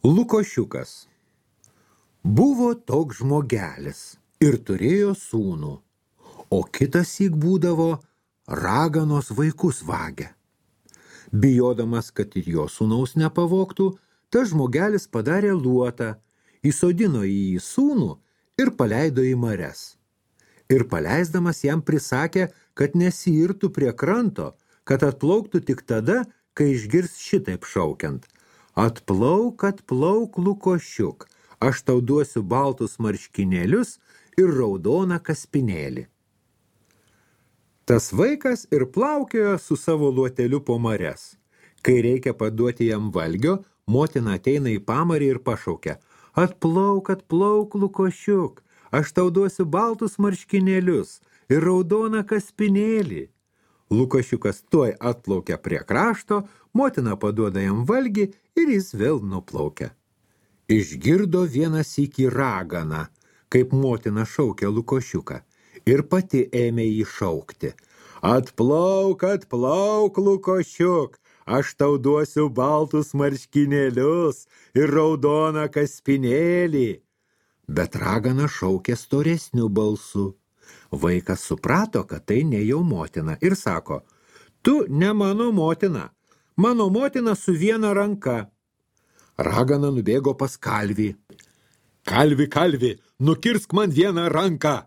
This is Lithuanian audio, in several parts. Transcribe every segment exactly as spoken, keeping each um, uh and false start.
Lukošiukas. Buvo toks žmogelis ir turėjo sūnų, o kitassyk būdavo raganos vaikus vagia. Bijodamas, kad ir jo sūnaus nepavogtų, tas žmogelis padarė luotą, įsodino jį į sūnų ir paleido į marias. Ir paleisdamas jam prisakė, kad nesiirtų prie kranto, kad atplauktų tik tada, kai išgirs šitaip šaukiant: atplauk, atplauk, Lukošiuk, aš tau duosiu baltus marškinėlius ir raudoną kaspinėlį. Tas vaikas ir plaukiojo su savo luoteliu po marias. Kai reikia paduoti jam valgio, motina ateina į pamarį ir pašaukia: atplauk, atplauk, Lukošiuk, aš tau duosiu baltus marškinėlius ir raudoną kaspinėlį. Lukošiukas tuoj atplaukia prie krašto, motina paduoda jam valgį ir jis vėl nuplaukia. Išgirdo vieną sykį raganą, kaip motina šaukia Lukošiuką, ir pati ėmė jį šaukti: atplauk, atplauk, Lukošiuk, aš tau duosiu baltus marškinėlius ir raudoną kaspinėlį. Bet ragana šaukė storesniu balsu. Vaikas suprato, kad tai ne jau motina, ir sako: tu ne mano motina, mano motina su viena ranka. Ragana nubėgo pas kalvį. Kalvi, kalvi, nukirsk man vieną ranką.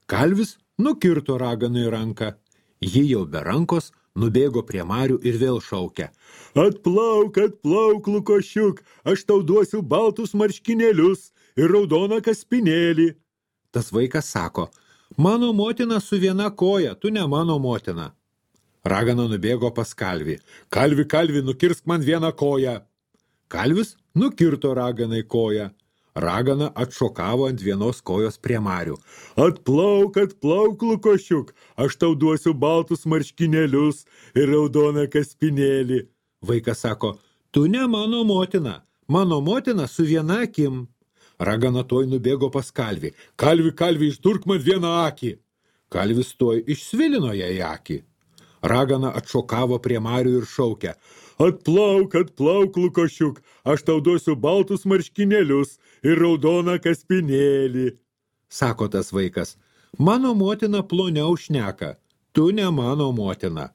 Kalvis nukirto raganui ranką. Ji jau be rankos nubėgo prie marių ir vėl šaukia: atplauk, atplauk, Lukošiuk, aš tau duosiu baltus marškinėlius ir raudoną kaspinėlį. Tas vaikas sako: mano motina su viena koja, tu ne mano motina. Ragana nubėgo pas kalvį. Kalvi, kalvi, nukirsk man vieną koją. Kalvis nukirto raganai koją. Ragana atšokavo ant vienos kojos prie marių. Atplauk, atplauk, Lukošiuk, aš tau duosiu baltus marškinėlius ir raudoną kaspinėlį. Vaikas sako: tu ne mano motina, mano motina su viena akim. Ragana tuoj nubėgo pas kalvį. Kalvi, kalvi, išdurk man vieną akį. Kalvis tuoj išsvilino jai akį. Ragana atšokavo prie marių ir šaukia: atplauk, atplauk, Lukošiuk, aš tau duosiu baltus marškinėlius ir raudoną kaspinėlį. Sako tas vaikas: mano motina ploniau šneka, tu ne mano motina.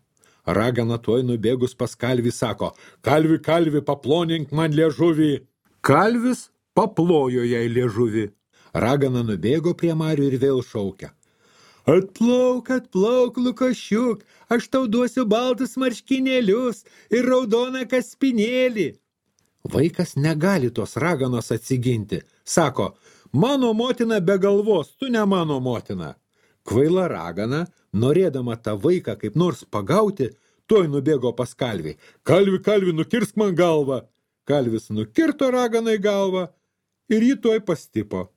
Ragana tuoj nubėgus pas kalvį sako: kalvi, kalvi, paplonink man liežuvį. Kalvis paplojo jai liežuvį. Ragana nubėgo prie marių ir vėl šaukia: atplauk, atplauk, Lukošiuk, aš tau duosiu baltus marškinėlius ir raudoną kaspinėlį. Vaikas negali tos raganos atsiginti. Sako: mano motina be galvos, tu ne mano motina. Kvaila ragana, norėdama tą vaiką kaip nors pagauti, tuoj nubėgo pas kalvį. Kalvi, kalvi, nukirsk man galvą. Kalvis nukirto raganai galvą ir jį tuoj pastipo.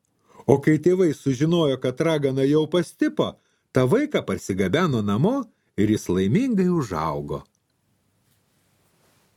O kai tėvai sužinojo, kad ragana jau pastipo, tą vaiką parsigabeno namo ir jis laimingai užaugo.